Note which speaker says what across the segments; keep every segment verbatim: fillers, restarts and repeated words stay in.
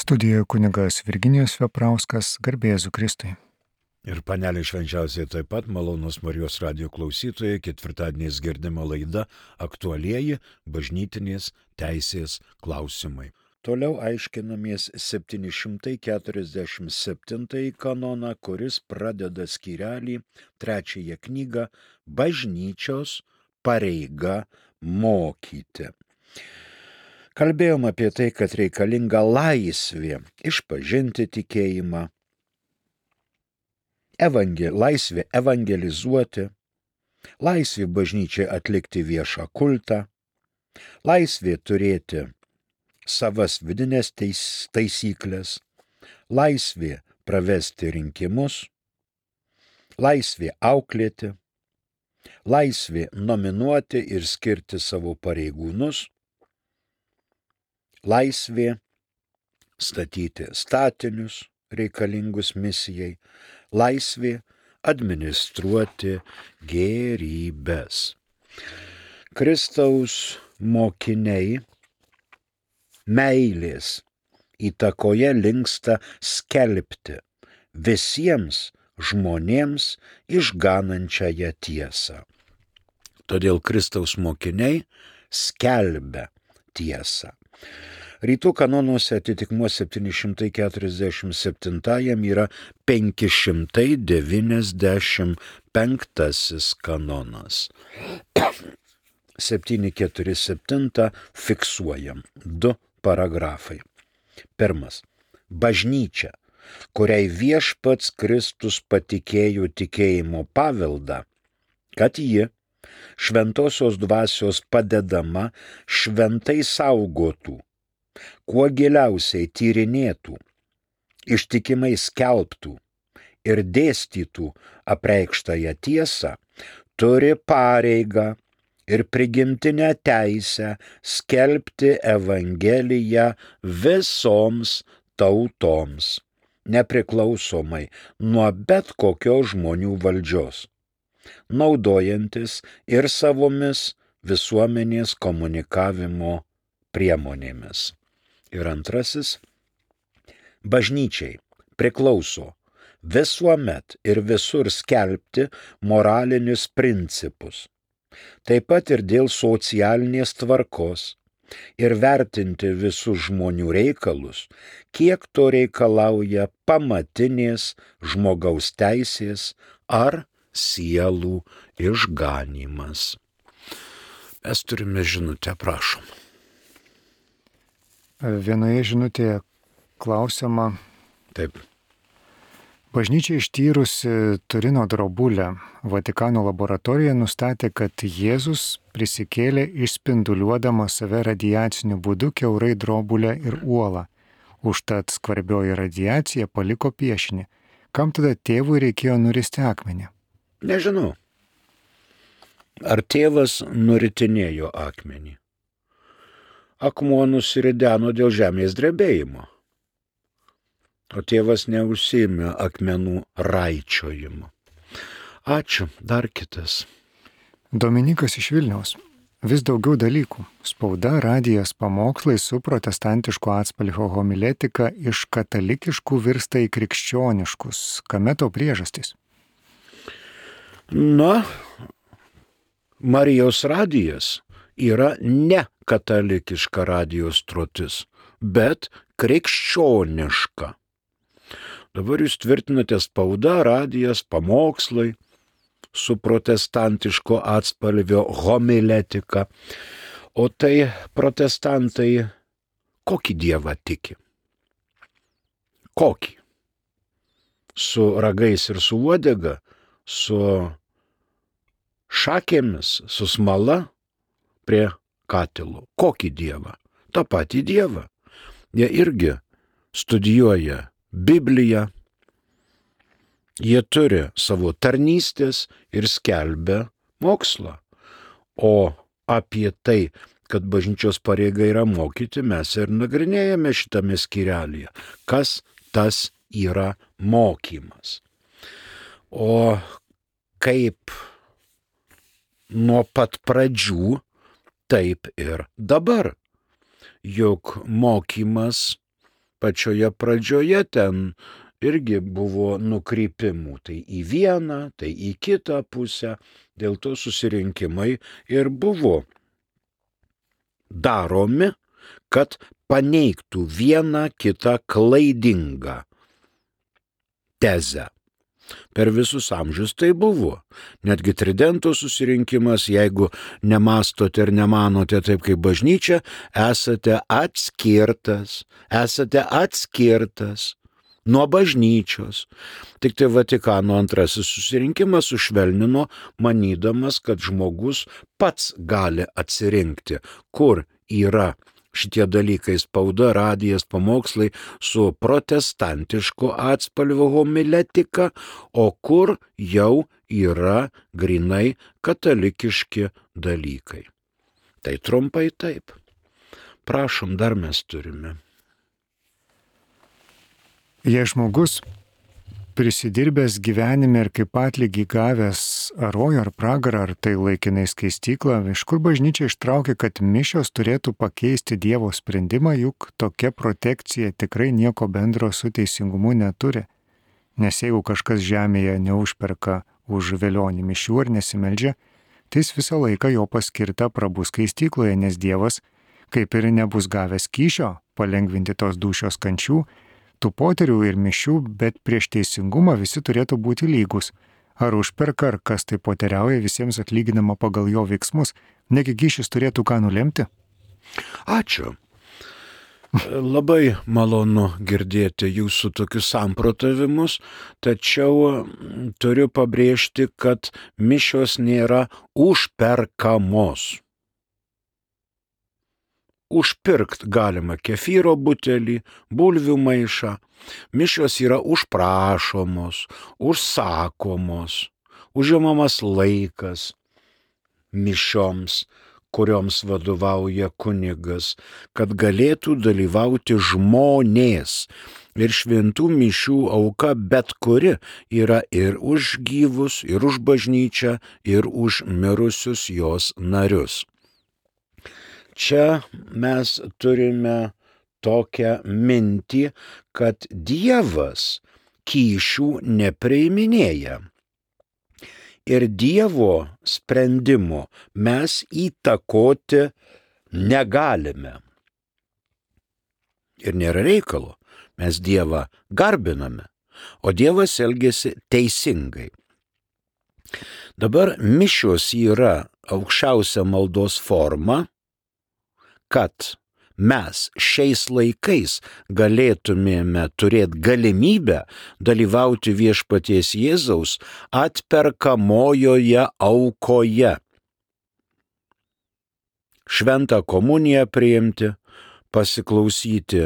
Speaker 1: Studijoje kunigas Virginijus Veprauskas, garbė Jėzui Kristui.
Speaker 2: Ir panelė švenčiausiai taip pat, malonus Marijos radijo klausytojai, ketvirtadieniais girdima laida aktualieji bažnytinės teisės klausimai. Toliau aiškinamės septyni šimtai keturiasdešimt septintąjį kanoną, kuris pradeda skyrelį trečiąją knygą Bažnyčios pareiga mokyti. Kalbėjom apie tai, kad reikalinga laisvė išpažinti tikėjimą, evangel, laisvė evangelizuoti, laisvė bažnyčiai atlikti viešą kultą, laisvė turėti savas vidinės teis, taisyklės, laisvė pravesti rinkimus, laisvė auklėti, laisvė nominuoti ir skirti savo pareigūnus, laisvė statyti statinius reikalingus misijai, laisvė administruoti gėrybes. Kristaus mokiniai meilės įtakoje linksta skelbti visiems žmonėms išganančiąją tiesą. Todėl Kristaus mokiniai skelbia tiesą. Rytų kanonuose atitikmuo septyni šimtai keturiasdešimt septintajam yra penki šimtai devyniasdešimt penktasis kanonas. septyni keturi septyni fiksuojam du paragrafai. Pirmas. Bažnyčia, kuriai viešpats Kristus patikėjo tikėjimo paveldą, kad ji šventosios dvasios padedama šventai saugotų, kuo giliausiai tyrinėtų, ištikimai skelbtų ir dėstytų apreikštąją tiesą, turi pareigą ir prigimtinę teisę skelbti Evangeliją visoms tautoms, nepriklausomai nuo bet kokios žmonių valdžios, naudojantis ir savomis visuomenės komunikavimo priemonėmis. Ir antrasis, bažnyčiai priklauso visuomet ir visur skelbti moralinius principus, taip pat ir dėl socialinės tvarkos ir vertinti visus žmonių reikalus, kiek to reikalauja pamatinės žmogaus teisės ar sielų išganymas. Mes turime žinutę, prašom.
Speaker 1: Vienoje žinutėje klausiama.
Speaker 2: Taip.
Speaker 1: Bažnyčia ištyrusi Turino drobulę Vatikano laboratorija nustatė, kad Jėzus prisikėlė išspinduliuodamas save radiaciniu būdu kiaurai drobulę ir uolą. Užtat skvarbioji radiacija paliko piešinį. Kam tada tėvui reikėjo nuristi akmenį?
Speaker 2: Nežinau. Ar tėvas nuritinėjo akmenį? Akmuo nusirideno dėl žemės drebėjimo. O tėvas neužsiėmė akmenų raičiojimo. Ačiū, dar kitas.
Speaker 1: Dominikas iš Vilniaus. Vis daugiau dalykų. Spauda, radijas, pamokslai su protestantiško atspalvio homiletika iš katalikiškų virsta į krikščioniškus. Kame to priežastys?
Speaker 2: Na, Marijos radijas yra ne katalikiška radijo stotis, bet krikščioniška. Dabar jūs tvirtinate spauda, radijas, pamokslai su protestantiško atspalvio homiletika. O tai protestantai kokį dievą tiki? Kokį? Su ragais ir su uodega? Su šakėmis, su smala prie katilo. Kokį dievą? Ta patį dievą. Jie irgi studijuoja Bibliją, jie turi savo tarnystės ir skelbia mokslą. O apie tai, kad bažnyčios pareiga yra mokyti, mes ir nagrinėjame šitame skyrelyje. Kas tas yra mokymas? O kaip nuo pat pradžių, taip ir dabar. Juk mokymas pačioje pradžioje ten irgi buvo nukrypimų, tai į vieną, tai į kitą pusę, dėl to susirinkimai ir buvo daromi, kad paneigtų vieną kitą klaidingą tezę. Per visus amžius tai buvo. Netgi Tridento susirinkimas, jeigu nemastote ir nemanote taip kaip bažnyčia, esate atskirtas, esate atskirtas nuo bažnyčios. Tik tai Vatikano antrasis susirinkimas sušvelnino, manydamas, kad žmogus pats gali atsirinkti, kur yra šitie dalykai - spauda, radijas, pamokslai su protestantišku atspalviu homiletika, o kur jau yra grinai katalikiški dalykai. Tai trumpai taip. Prašom, dar mes turime.
Speaker 1: Jei žmogus prisidirbęs gyvenime ir kaip atlygį gavęs ar rojų ar pragarą, ar tai laikinai skaistyklą, iš kur bažnyčia ištraukė, kad mišios turėtų pakeisti Dievo sprendimą, juk tokia protekcija tikrai nieko bendro su teisingumu neturi. Nes jeigu kažkas žemėje neužperka už velionį mišių ar nesimeldžia, tai jis visą laiką jo paskirta prabus skaistykloje, nes Dievas, kaip ir nebus gavęs kyšio palengvinti tos dūšios kančių, tų poterių ir mišių, bet prieš teisingumą visi turėtų būti lygus. Ar užperka, ar kas tai poteriauja, visiems atlyginama pagal jo veiksmus, negi kyšis turėtų ką nulemti?
Speaker 2: Ačiū. Labai malonu girdėti jūsų tokius samprotavimus, tačiau turiu pabrėžti, kad mišios nėra užperkamos. Užpirkt galima kefyro butelį, bulvių maišą. Mišios yra užprašomos, užsakomos, užimamas laikas mišioms, kurioms vadovauja kunigas, kad galėtų dalyvauti žmonės. Ir šventų mišių auka bet kuri yra ir už gyvus, ir už bažnyčią, ir už mirusius jos narius. Čia mes turime tokią mintį, kad Dievas kyšių nepriiminėja. Ir Dievo sprendimo mes įtakoti negalime. Ir nėra reikalo, mes Dievą garbiname, o Dievas elgiasi teisingai. Dabar mišios yra aukščiausia maldos forma, kad mes šiais laikais galėtumėme turėti galimybę dalyvauti viešpaties Jėzaus atperkamojoje aukoje. Šventą komuniją priimti, pasiklausyti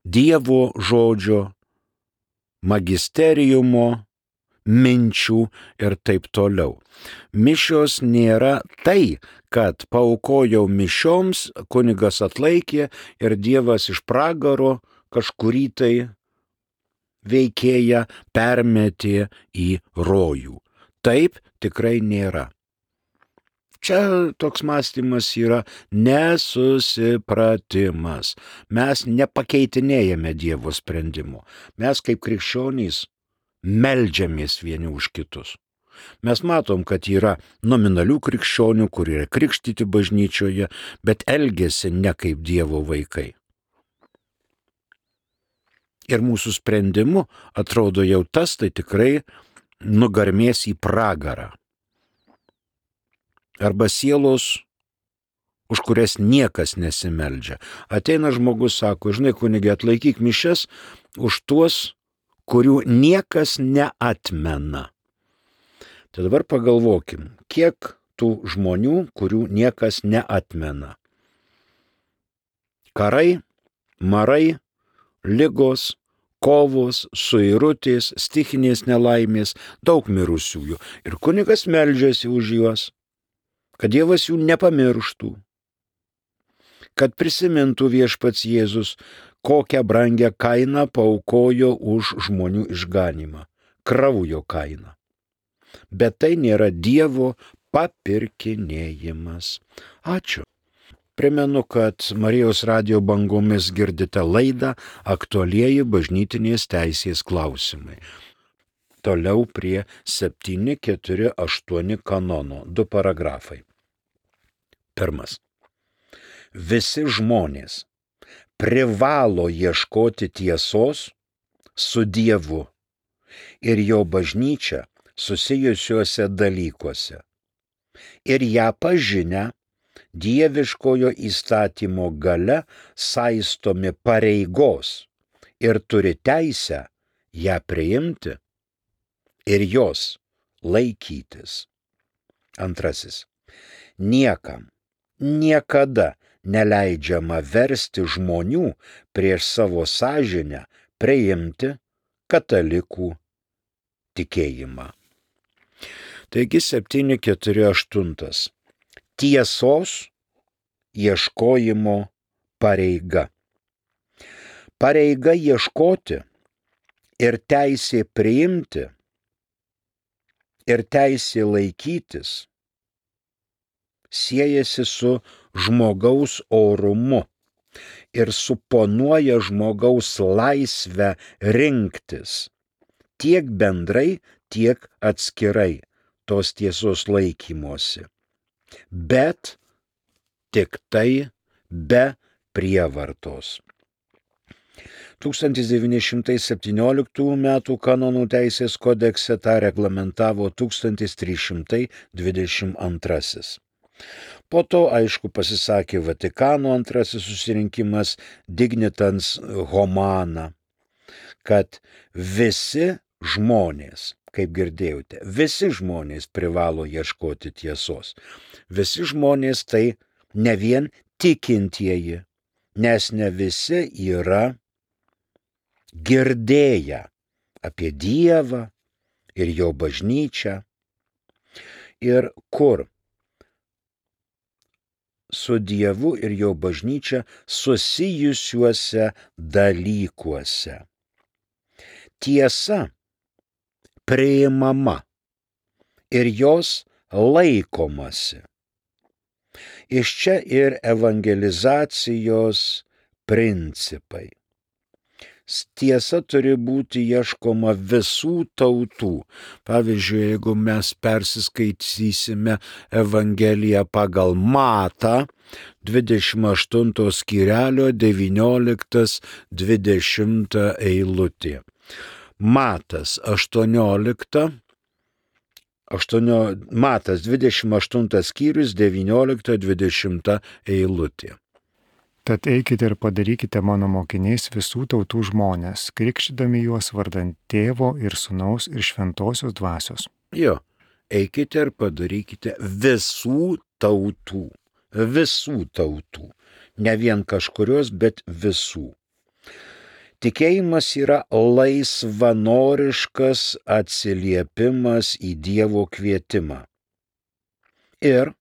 Speaker 2: Dievo žodžio, magisteriumo, minčių ir taip toliau. Mišios nėra tai, kad paaukojau mišioms, kunigas atlaikė ir Dievas iš pragaro kažkurį tai veikėją permetė į rojų. Taip tikrai nėra. Čia toks mąstymas yra nesusipratimas. Mes nepakeitinėjame Dievo sprendimo. Mes kaip krikščionys meldžiamės vieni už kitus. Mes matom, kad yra nominalių krikščionių, kurie yra krikštyti bažnyčioje, bet elgiasi ne kaip Dievo vaikai. Ir mūsų sprendimu atrodo jau tas tai tikrai nugarmės į pragarą. Arba sielos, už kurias niekas nesimeldžia. Ateina žmogus, sako, žinai, kunige, atlaikyk mišias už tuos, kurių niekas neatmena. Tai dabar pagalvokim, kiek tų žmonių, kurių niekas neatmena. Karai, marai, ligos, kovos, suirutės, stichinės nelaimės, daug mirusiųjų. Ir kunigas meldžiasi už juos, kad Dievas jų nepamirštų, kad prisimintų viešpats Jėzus, kokią brangią kainą paaukojo už žmonių išganymą, kraujo kainą. Bet tai nėra Dievo papirkinėjimas. Ačiū. Primenu, kad Marijos radijo bangomis girdite laidą Aktualieji bažnytinės teisės klausimai. Toliau prie septyni keturi aštuoni kanono, du paragrafai. Pirmas. Visi žmonės privalo ieškoti tiesos su Dievu ir jo bažnyčia susijusiuose dalykuose ir ją pažinę dieviškojo įstatymo gale saistomi pareigos ir turi teisę ją priimti ir jos laikytis. Antrasis. Niekam niekada neleidžiama versti žmonių prieš savo sąžinę priimti katalikų tikėjimą. Taigi septyni keturi aštuoni. Tiesos ieškojimo pareiga. Pareiga ieškoti ir teisė priimti ir teisė laikytis siejasi su žmogaus orumu ir suponuoja žmogaus laisvę rinktis tiek bendrai, tiek atskirai tos tiesos laikymosi, bet tik tai be prievartos. tūkstantis devyni šimtai septynioliktųjų metų kanonų teisės kodekse tą reglamentavo tūkstantis trys šimtai dvidešimt antrasis. Po to, aišku, pasisakė Vatikano antrasis susirinkimas Dignitans Humana, kad visi žmonės, kaip girdėjote, visi žmonės privalo ieškoti tiesos. Visi žmonės tai ne vien tikintieji, nes ne visi yra girdėję apie Dievą ir jo bažnyčią ir kur su Dievu ir jo bažnyčia susijusiuose dalykuose. Tiesa priimama ir jos laikomasi. Iš čia ir evangelizacijos principai. Tiesa turi būti ieškoma visų tautų. Pavyzdžiui, jeigu mes persiskaitysime Evangeliją pagal Matą, dvidešimt aštunto skyrelio devynioliktas dvidešimta eilutė. Matas aštuoniolikta, aštuonio, Matas dvidešimt aštuntas skyrius devyniolikta dvidešimta eilutė.
Speaker 1: Tad eikite ir padarykite mano mokiniais visų tautų žmonės, krikštydami juos vardant Tėvo ir Sūnaus ir Šventosios dvasios.
Speaker 2: Jo, eikite ir padarykite visų tautų, visų tautų, ne vien kažkurios, bet visų. Tikėjimas yra laisvanoriškas atsiliepimas į Dievo kvietimą. Ir,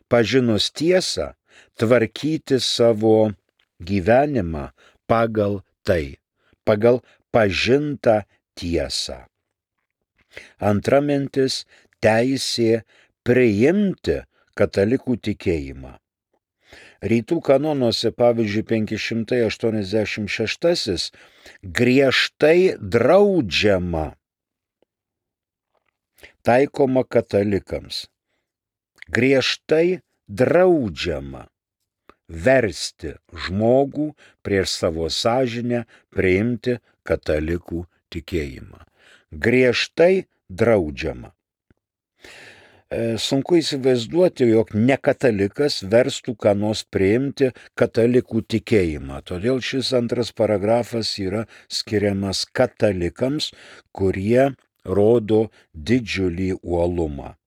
Speaker 2: pažinus tiesą, tvarkyti savo gyvenimą pagal tai, pagal pažintą tiesą. Antra mintis – teisė priimti katalikų tikėjimą. Rytų kanonuose, pavyzdžiui, penki šimtai aštuoniasdešimt šeštasis griežtai draudžiama taikoma katalikams. Griežtai draudžiama versti žmogų prieš savo sąžinę priimti katalikų tikėjimą. Griežtai draudžiama. Sunku įsivaizduoti, jog nekatalikas verstų ką nors priimti katalikų tikėjimą. Todėl šis antras paragrafas yra skiriamas katalikams, kurie rodo didžiulį uolumą.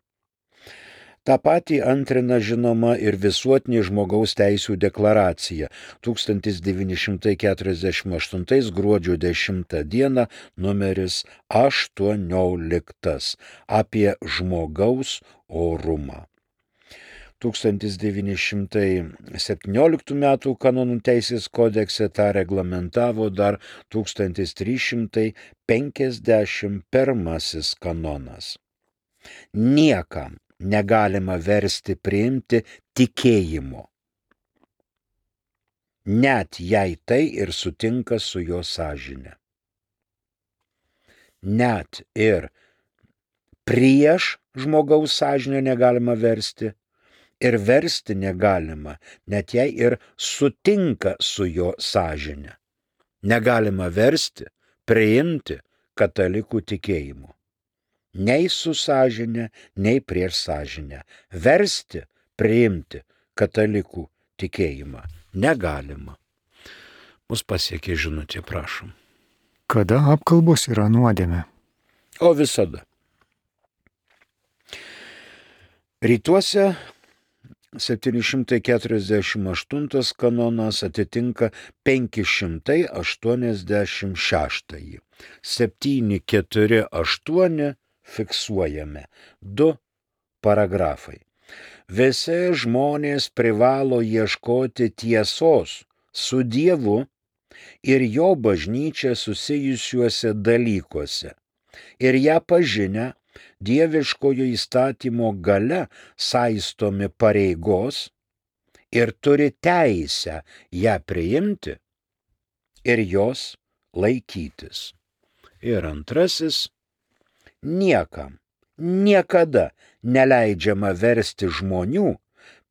Speaker 2: Ta patį antrina žinoma ir visuotinė žmogaus teisių deklaracija tūkstantis devyni šimtai keturiasdešimt aštuntais gruodžio dešimtą dieną numeris aštuonioliktas apie žmogaus orumą. tūkstantis devyni šimtai septynioliktų metų kanonų teisės kodekse tą reglamentavo dar tūkstantis trys šimtai penkiasdešimt pirmasis kanonas. Niekam negalima versti priimti tikėjimo. net jei tai ir sutinka su jo sąžine. Net ir prieš žmogaus sąžinę negalima versti ir versti negalima, net jei ir sutinka su jo sąžine. Negalima versti, priimti katalikų tikėjimu. Nei su sąžine, nei prieš sąžinę. Versti, priimti katalikų tikėjimą negalima. Mus pasiekė žinutė, prašom.
Speaker 1: Kada apkalbos yra nuodėmė?
Speaker 2: O visada. Rytuose septyni šimtai keturiasdešimt aštuntas kanonas atitinka penki šimtai aštuoniasdešimt šeštąjį. septyni keturi aštuoni fiksuojame. Du paragrafai. Visi žmonės privalo ieškoti tiesos su Dievu ir jo bažnyčia susijusiuose dalykuose ir ją pažinę dieviškojo įstatymo gale saistomi pareigos ir turi teisę ją priimti ir jos laikytis. Ir antrasis, niekam, niekada neleidžiama versti žmonių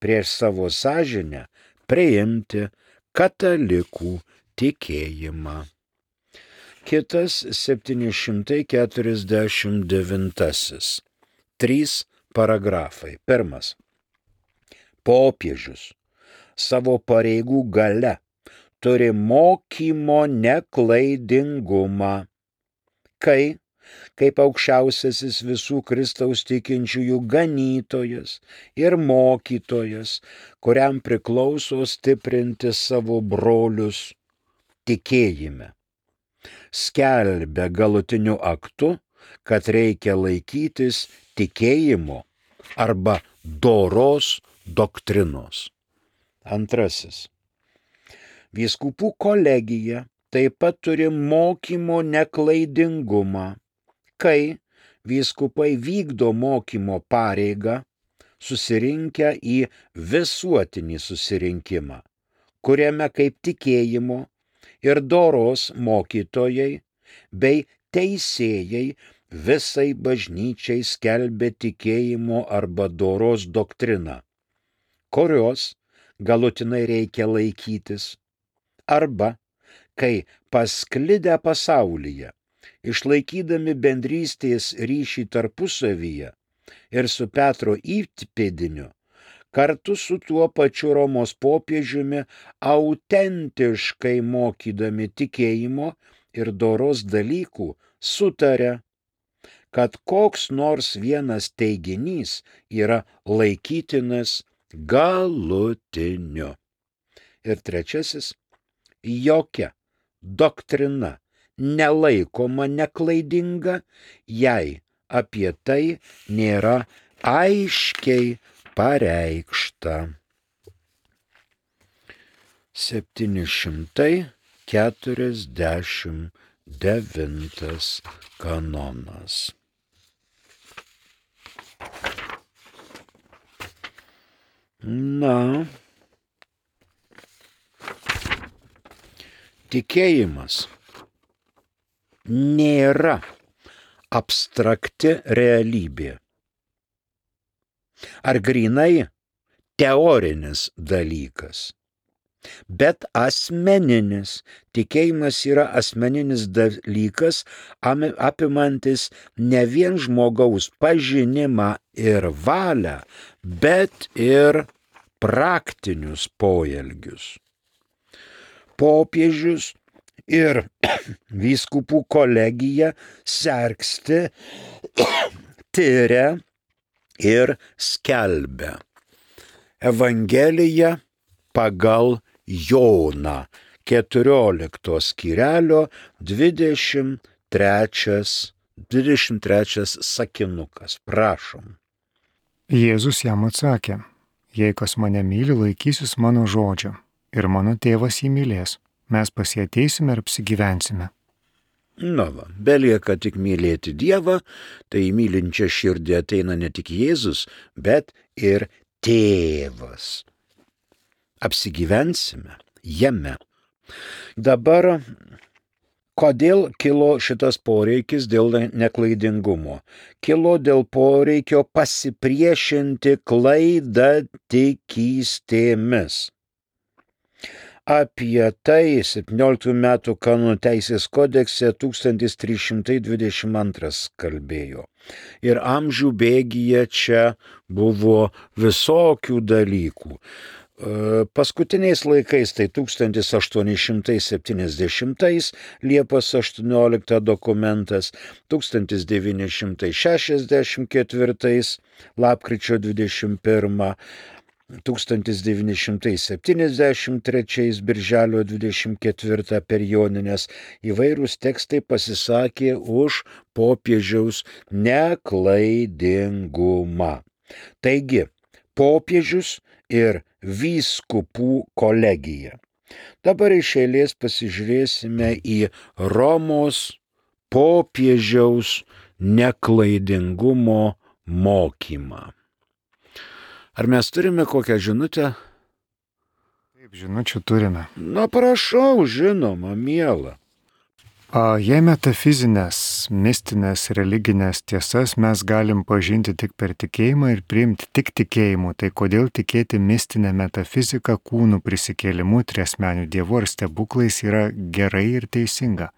Speaker 2: prieš savo sąžinę priimti katalikų tikėjimą. Kitas septyni šimtai keturiasdešimt devintasis. Trys paragrafai. Pirmas. Popiežius savo pareigų gale turi mokymo neklaidingumą, kai, kaip aukščiausiasis visų Kristaus tikinčiųjų ganytojas ir mokytojas, kuriam priklauso stiprinti savo brolius tikėjime, skelbia galutiniu aktu, kad reikia laikytis tikėjimo arba doros doktrinos. Antrasis. Vyskupų kolegija taip pat turi mokymo neklaidingumą, kai vyskupai vykdo mokymo pareigą susirinkę į visuotinį susirinkimą, kuriame kaip tikėjimo ir doros mokytojai bei teisėjai visai bažnyčiai skelbia tikėjimo arba doros doktriną, kurios galutinai reikia laikytis, arba kai pasklidę pasaulyje, išlaikydami bendrystės ryšį tarpusavyje ir su Petro įpėdiniu, kartu su tuo pačiu Romos popiežiumi autentiškai mokydami tikėjimo ir doros dalykų, sutaria, kad koks nors vienas teiginys yra laikytinas galutiniu. Ir trečiasis, jokia doktrina nelaikoma neklaidinga, jei apie tai nėra aiškiai pareikšta. septyni šimtai keturiasdešimt devintas kanonas. Na, tikėjimas nėra abstrakti realybė ar grynai teorinis dalykas, bet asmeninis. Tikėjimas yra asmeninis dalykas, apimantis ne vien žmogaus pažinimą ir valią, bet ir praktinius poelgius. Popiežius ir vyskupų kolegija sergsti, tyria ir skelbia Evangeliją pagal Joną, keturiolikto skyrelio dvidešimt trečias, dvidešimt trečias sakinukas. Prašom.
Speaker 1: Jėzus jam atsakė, jei kas mane myli, laikysis mano žodžio, ir mano tėvas jį mylės. Mes pas jį ateisime ir apsigyvensime.
Speaker 2: Na va, belieka tik mylėti Dievą, tai į mylinčią širdį ateina ne tik Jėzus, bet ir Tėvas. Apsigyvensime, jame. Dabar kodėl kilo šitas poreikis dėl neklaidingumo? Kilo dėl poreikio pasipriešinti klaidatikystėmis. Apie tai septynioliktų metų kanonų teisės kodekse tūkstantis trys šimtai dvidešimt antras kalbėjo. Ir amžių bėgyje čia buvo visokių dalykų. Paskutiniais laikais, tai tūkstantis aštuoni šimtai septyniasdešimtais Liepos aštuoniolikta dokumentas, tūkstantis devyni šimtai šešiasdešimt ketvirtais lapkričio dvidešimt pirmą, tūkstantis devyni šimtai septyniasdešimt trečiais birželio dvidešimt ketvirtą per Jonines įvairūs tekstai pasisakė už popiežiaus neklaidingumą. Taigi, popiežius ir vyskupų kolegija. Dabar iš eilės pasižiūrėsime į Romos popiežiaus neklaidingumo mokymą. Ar mes turime kokią žinutę?
Speaker 1: Taip, žinučių turime.
Speaker 2: Na, prašau, žinoma, miela.
Speaker 1: Jei metafizinės, mistinės, religinės tiesas mes galim pažinti tik per tikėjimą ir priimti tik tikėjimu, tai kodėl tikėti mistinę metafiziką, kūnų prisikėlimu, triasmeniu dievu ar stebuklais yra gerai ir teisinga,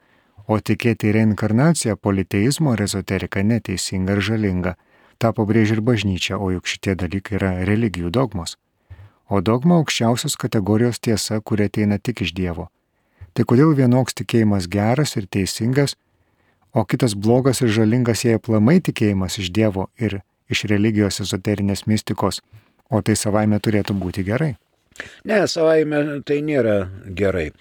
Speaker 1: o tikėti reinkarnaciją, politeizmo ar ezoteriką neteisinga ir žalinga? Ta pabrėžia ir bažnyčia, o juk šitie dalykai yra religijų dogmos. O dogma aukščiausios kategorijos tiesa, kuri ateina tik iš Dievo. Tai kodėl vienoks tikėjimas geras ir teisingas, o kitas blogas ir žalingas, jei aplamai tikėjimas iš Dievo ir iš religijos ezoterinės mistikos, o tai savaime turėtų būti gerai?
Speaker 2: Ne, savaime tai nėra gerai.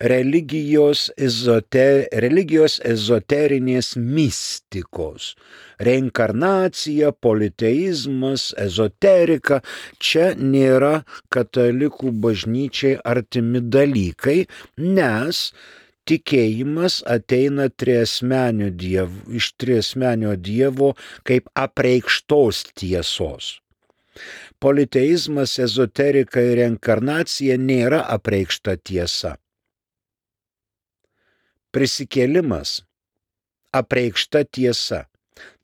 Speaker 2: Religijos, ezoter, religijos ezoterinės mistikos, reinkarnacija, politeizmas, ezoterika, čia nėra katalikų bažnyčiai artimi dalykai, nes tikėjimas ateina triasmenio dievo, iš triasmenio Dievo kaip apreikštos tiesos. Politeizmas, ezoterika ir reinkarnacija nėra apreikšta tiesa. Prisikėlimas – apreikšta tiesa.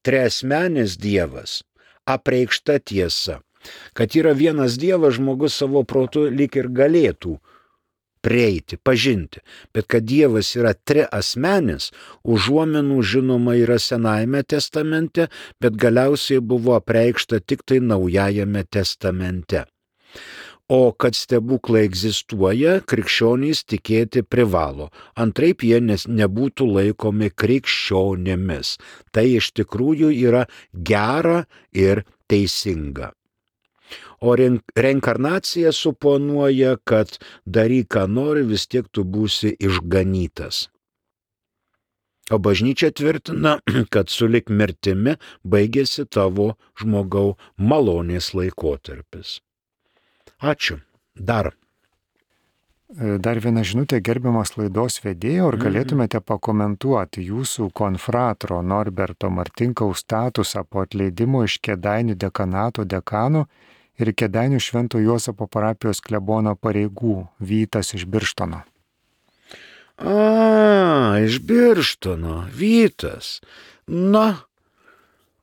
Speaker 2: Triasmenis Dievas – apreikšta tiesa. Kad yra vienas Dievas, žmogus savo protu lyg ir galėtų prieiti, pažinti. Bet kad Dievas yra triasmenis, užuominų žinoma yra Senajame testamente, bet galiausiai buvo apreikšta tik tai Naujajame testamente. O kad stebuklai egzistuoja, krikščionys tikėti privalo. Antraip jie nebūtų laikomi krikščionėmis. Tai iš tikrųjų yra gera ir teisinga. O reinkarnacija suponuoja, kad daryk, ką nori, vis tiek tu būsi išganytas. O bažnyčia tvirtina, kad sulig mirtimi baigėsi tavo žmogau malonės laikotarpis. Ačiū. Dar.
Speaker 1: Dar viena žinutė, gerbiamas laidos vedėjo, ar galėtumėte pakomentuoti jūsų konfratro Norberto Martinkaus statusą po atleidimo iš Kėdainių dekanato dekanų ir Kėdainių Švento Juozapo parapijos klebono pareigų, Vytas iš Birštono?
Speaker 2: A, iš Birštono, Vytas. Na,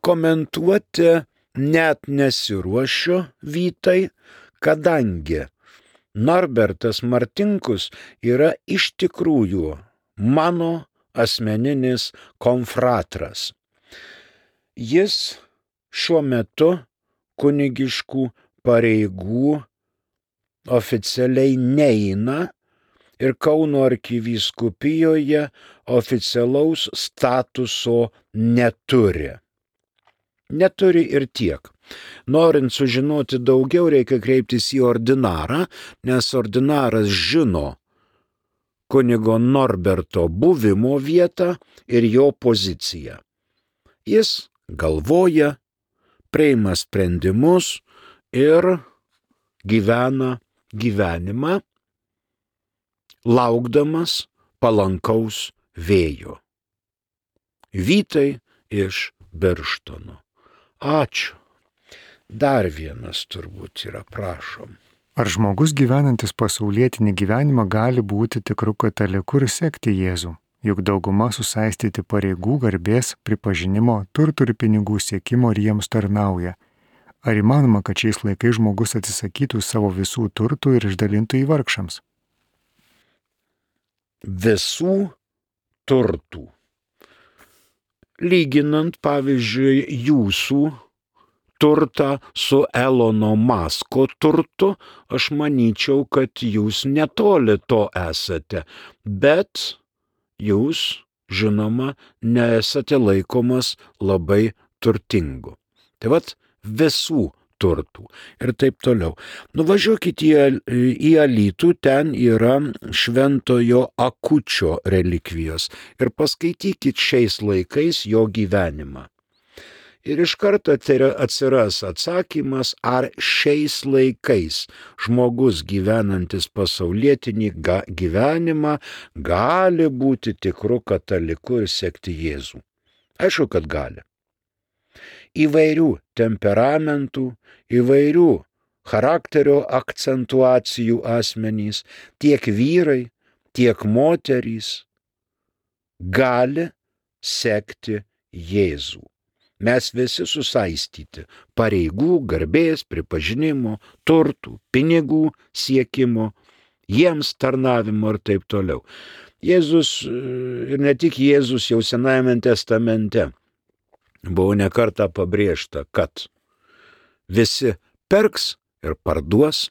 Speaker 2: komentuoti net nesiruošiu, Vytai, kadangi Norbertas Martinkus yra iš tikrųjų mano asmeninis konfratras. Jis šiuo metu kunigiškų pareigų oficialiai neina ir Kauno arkivyskupijoje oficialaus statuso neturi. Neturi ir tiek. Norint sužinoti daugiau, reikia kreiptis į ordinarą, nes ordinaras žino kunigo Norberto buvimo vietą ir jo poziciją. Jis galvoja, priima sprendimus ir gyvena gyvenimą, laukdamas palankaus vėjo. Vytai iš Birštono. Ačiū. Dar vienas turbūt yra, prašom.
Speaker 1: Ar žmogus gyvenantis pasaulietinį gyvenimą gali būti tikru kataliku ir sekti Jėzų? Juk dauguma susaistyti pareigų, garbės, pripažinimo, turtų ir pinigų siekimo ir jiems tarnauja. Ar įmanoma, kad šiais laikais žmogus atsisakytų savo visų turtų ir išdalintų į vargšams?
Speaker 2: Visų turtų. Lyginant, pavyzdžiui, jūsų turtą su Elono Masko turtu, aš manyčiau, kad jūs netoli to esate, bet jūs, žinoma, nesate laikomas labai turtingu. Tai vat visų turtų ir taip toliau. Nuvažiuokit į, į Alytų, ten yra šventojo Akučio relikvijos ir paskaitykit šiais laikais jo gyvenimą. Ir iš karto atsiras atsakymas, ar šiais laikais žmogus gyvenantis pasaulietinį gyvenimą gali būti tikru kataliku ir sekti Jėzų. Aišku, kad gali. Įvairių temperamentų, įvairių charakterio akcentuacijų asmenys, tiek vyrai, tiek moterys gali sekti Jėzų. Mes visi susaistyti pareigų, garbės, pripažinimo, turtų, pinigų siekimo, jiems tarnavimo ir taip toliau. Jėzus, ir ne tik Jėzus, jau Senajame testamente buvo ne kartą pabrėžta, kad visi perks ir parduos,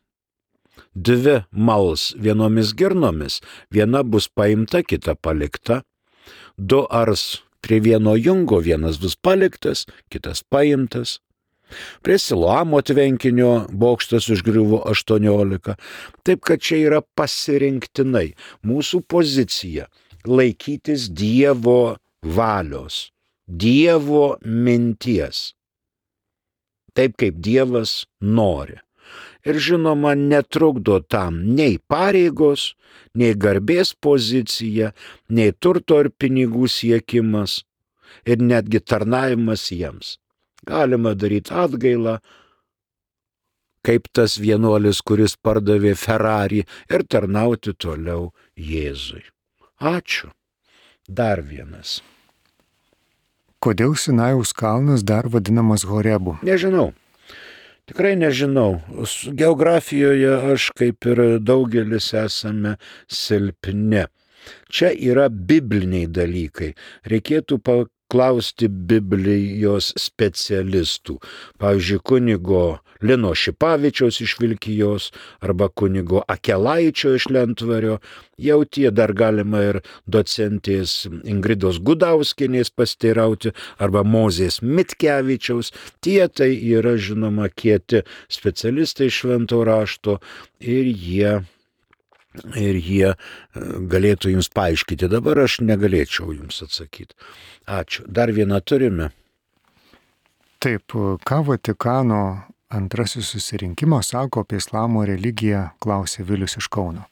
Speaker 2: dvi mals vienomis girnomis, viena bus paimta, kita palikta, du ars prie vieno jungo, vienas bus paliktas, kitas paimtas. Prie Siloamo tvenkinio bokštas užgriuvo aštuoniolika. Taip kad čia yra pasirinktinai mūsų pozicija laikytis Dievo valios, Dievo minties, taip kaip Dievas nori. Ir žinoma, netrukdo tam nei pareigos, nei garbės pozicija, nei turto ir pinigų siekimas ir netgi tarnavimas jiems. Galima daryti atgailą, kaip tas vienuolis, kuris pardavė Ferrari, ir tarnauti toliau Jėzui. Ačiū. Dar vienas.
Speaker 1: Kodėl Sinajaus kalnas dar vadinamas Horebu?
Speaker 2: Nežinau. Tikrai nežinau. Geografijoje aš, kaip ir daugelis, esame silpni. Čia yra bibliniai dalykai. Reikėtų paklausti Biblijos specialistų. Pavyzdžiui, kunigo Lino Šipavičiaus iš Vilkijos arba kunigo Akelaičio iš Lentvario. Jau tie dar galima ir docentės Ingridos Gudauskienės pasiteirauti arba Mozės Mitkevičiaus. Tie tai yra, žinoma, kieti specialistai švento rašto ir jie, ir jie galėtų jums paaiškinti. Dabar aš negalėčiau jums atsakyti. Ačiū. Dar vieną turime.
Speaker 1: Taip, ką Vatikano antrasis susirinkimas sako apie islamo religiją, klausė Vilius iš Kauno.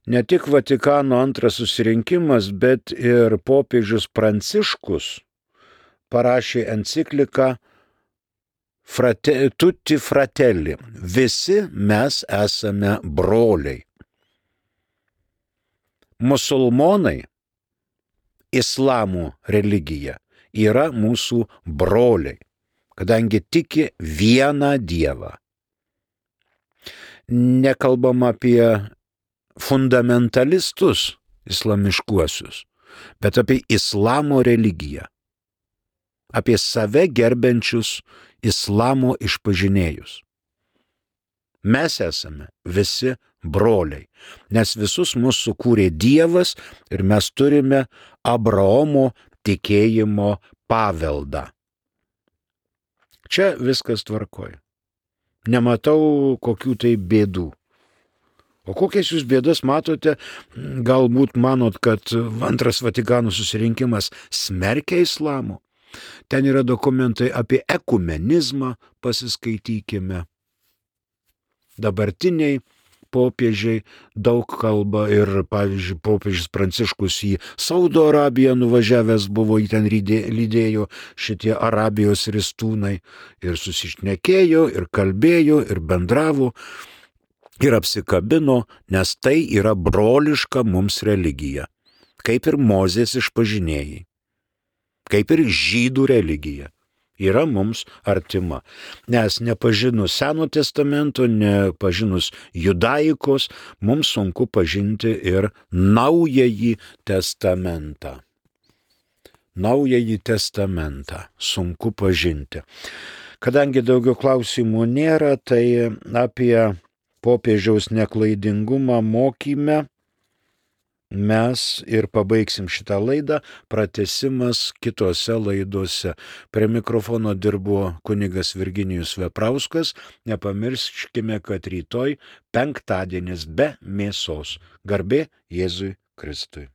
Speaker 2: Ne tik Vatikano antras susirinkimas, bet ir popiežius Pranciškus parašė encikliką Frate, Tutti Fratelli. Visi mes esame broliai. Musulmonai, islamo religija, yra mūsų broliai, kadangi tiki vieną Dievą. Nekalbam apie fundamentalistus islamiškuosius, bet apie islamo religiją, apie save gerbiančius islamo išpažinėjus. Mes esame visi broliai, nes visus mus sukūrė Dievas ir mes turime Abraomo tikėjimo paveldą. Čia viskas tvarkoja. Nematau kokių tai bėdų. O kokias jūs bėdas matote? Galbūt manot, kad antras Vatikano susirinkimas smerkia islamo. Ten yra dokumentai apie ekumenizmą, pasiskaitykime. Dabartiniai popiežiai daug kalba ir, pavyzdžiui, popiežius Pranciškus į Saudo Arabiją nuvažiavęs buvo, į ten lydėjo šitie Arabijos ristūnai ir susišnekėjo, ir kalbėjo, ir bendravo, ir apsikabino, nes tai yra broliška mums religija, kaip ir Mozės išpažinėjai, kaip ir žydų religija. Yra mums artima, nes nepažinus Seno testamento, nepažinus judaikos, mums sunku pažinti ir Naująjį testamentą. Naująjį testamentą sunku pažinti. Kadangi daugiau klausimų nėra, tai apie popiežiaus neklaidingumą mokyme mes ir pabaigsim šitą laidą, pratęsimas kitose laidose. Prie mikrofono dirbo kunigas Virginijus Veprauskas. Nepamirškime, kad rytoj penktadienis be mėsos. Garbė Jėzui Kristui.